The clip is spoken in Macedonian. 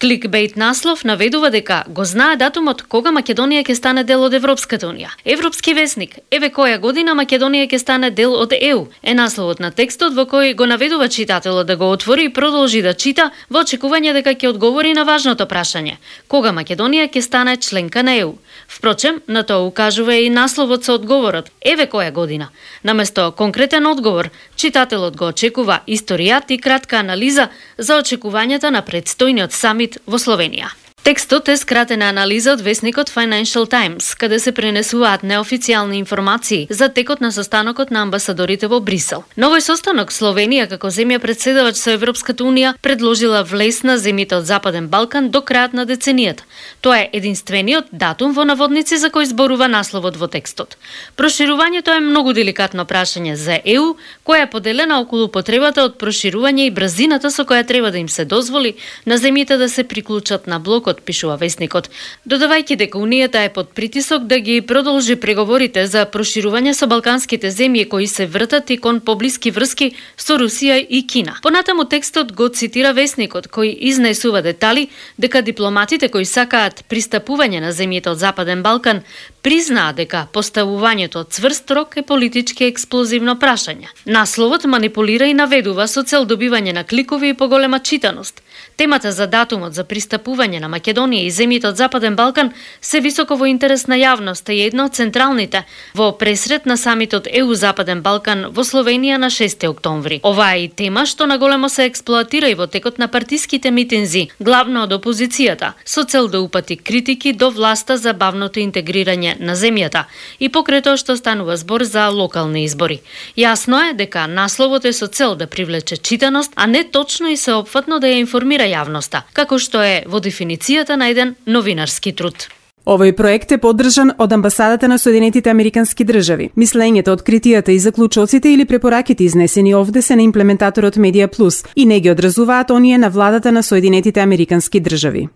Кликбейт наслов наведува дека го знае датумот кога Македонија ќе стане дел од Европската унија. Европски весник, еве која година Македонија ќе стане дел од ЕУ, е насловот на текстот во кој го наведува читателот да го отвори и продолжи да чита во очекување дека ќе одговори на важното прашање: кога Македонија ќе стане членка на ЕУ. Впрочем, на тоа укажува и насловот со одговорот: еве која година. Наместо конкретен одговор, читателот го очекува историјат и кратка анализа за очекувањата на предстојниот самит во Словенија. Текстот е скратена анализа од весникот Financial Times, каде се пренесуваат неофицијални информации за текот на состанокот на амбасадорите во Брисел. На овој состанок Словенија, како земја председавач со Европската унија, предложила влез на земјите од Западен Балкан до крајот на деценијата. Тоа е единствениот датум во наводници за кој зборува насловот во текстот. Проширувањето е многу деликатно прашање за ЕУ, која е поделена околу потребата од проширување и брзината со која треба да им се дозволи на земјите да се приклучат на блокот, пишува весникот, додавајќи дека Унијата е под притисок да ги продолжи преговорите за проширување со балканските земји кои се вртат и кон поблиски врски со Русија и Кина. Понатаму текстот го цитира весникот, кој изнесува детали дека дипломатите кои сакаат пристапување на земјите од Западен Балкан признаа дека поставувањето цврст рок е политички експлозивно прашање. Насловот манипулира и наведува со цел добивање на кликови и поголема читаност. Темата за датумот за пристапување на Македонија и земјите од Западен Балкан се високо во интерес на јавноста и една од централните во пресрет на самитот ЕУ Западен Балкан во Словенија на 6 октомври. Ова е и тема што наголемо се експлоатира и во текот на партиските митинзи, главно од опозицијата, со цел да упати критики до власта за бавното интегрирање на земјата и покрај тоа што станува збор за локални избори. Јасно е дека насловот е со цел да привлече читаност, а не точно и сеопфатно да ја информира јавноста, како што е во дефиницијата на еден новинарски труд. Овој проект е поддржан од амбасадата на Соединетите Американски држави. Мислењето, откритијата и заклучоците или препораките изнесени овде се на имплементаторот Медија Плюс и не ги одразуваат оние на владата на Соединетите Американски држави.